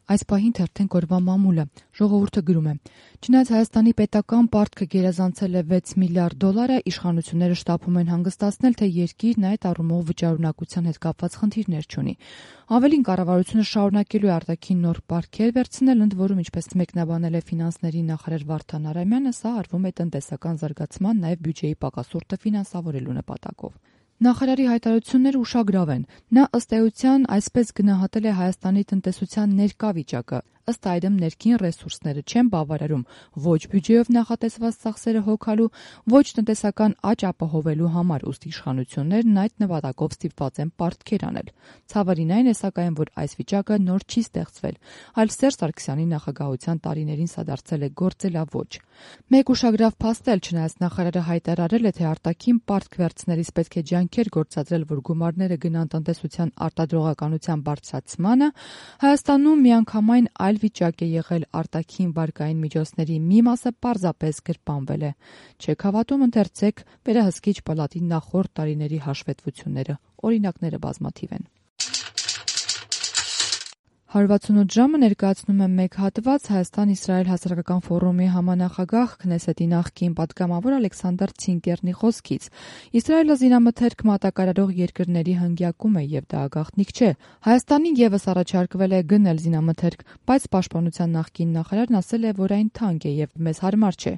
Այս պահին թերթենք օրվա մամուլը։ Ժողովուրդը գրում է. Չնայած Հայաստանի պետական պարտքը գերազանցել է 6 միլիարդ դոլարը, իշխանությունները շտապում են հանգստացնել, թե երկիրն այդ առումով վճարունակության հետ կապված խնդիրներ չունի։ Ավելին, կառավարությունը շարունակելու է արտաքին նոր պարտքեր վերցնել, ընդ որում, ինչպես մեկնաբանել է ֆինանսների նախարար Վարդան Արամյանը, սա արվում է տնտեսական զարգացման, նաև բյուջեի պակասորտը ֆինանսավորելու նպատակով։ Նախարարի հայտարարությունները ուշագրավ են։ Նա ըստ էության այսպես գնահատել է Հայաստանի տնտեսության ներկա վիճակը։ Ըստ այդմ ներքին ռեսուրսները չեն բավարարում ոչ բյուջեով նախատեսված ծախսերը հոգալու, ոչ տնտեսական աճ ապահովելու համար, ուստի իշխանություններն այդ նպատակով ստիպված են պարտքեր անել։ Ցավալին այն է, սակայն, որ այս վիճակը նոր չի ստեղծվել, այլ Սերժ Սարգսյանի նախագահության տարիներին սա դարձել է գործելաոճ։ Մեկ ուշագրավ փաստ էլ, չնայած նախարարը հայտարարել է, թե արտաքին պարտք վերցնելիս պետք է ջանքեր գործադրել, որ գումարները գնան տնտեսության արտադրողականության բարձրացմանը, Հայաստանում միանգամայն այլ վիճակ է եղել, արտաքին վարկային միջոցների մի մասը պարզապես գրպանվել է։ Չեք հավատում, ընթերցեք վերահսկիչ պալատի նախորդ տարիների հաշվետվությունները, օրինակները բազմաթիվ են։ 168 ժամը ներկայացնում է մեկ հատված Հայաստան-Իսրայել հասարակական ֆորումի համանախագահ Քնեսետի նախկին պատգամավոր Ալեքսանդր Ցինկերնի խոսքից։ Իսրայելը զինամթերք մատակարարող երկրների հնգյակում է եւ դա գաղտնիք չէ։ Հայաստանին եւս առաջարկվել է գնել զինամթերք, բայց պաշտպանության նախկին նախարարն ասել է, որ այն թանկ է եւ մեզ հարմար չէ։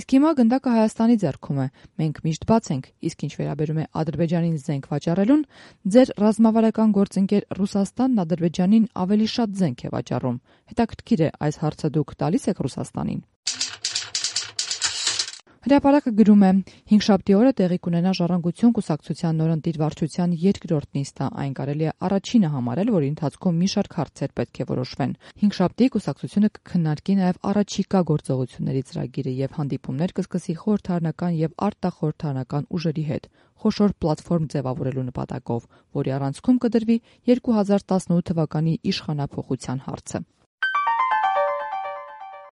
Իսկ հիմա գնդակը Հայաստանի ձեռքում է։ Մենք միշտ բաց ենք, իսկ ինչ վերաբերում է Ադրբեջանին զենք վաճառելուն, ձեր ռազմավարական գործընկեր Ռուսաստանն Ադրբեջանին ավելի շատ զենք է վաճառում։ Հետաքրքիր է, այս հարցը դուք տալիս եք Ռուսաստանին։ Հրապարակը գրում է. հինգշաբթի օրը տեղի կունենա Ժառանգություն կուսակցության նորընտիր վարչության երկրորդ նիստը, այն կարելի է առաջինը համարել, որի ընթացքում մի շարք հարցեր պետք է որոշվեն։ Հինգշաբթի կուսակցությունը կքննարկի նաև առաջիկա գործողությունների ծրագիրը եւ հանդիպումներ կսկսի խորհրդարանական եւ արտախորհրդարանական ուժերի հետ, խոշոր պլատֆորմ ձևավորելու նպատակով, որի առանցքում կդրվի 2018 թվականի իշխանափոխության հարցը։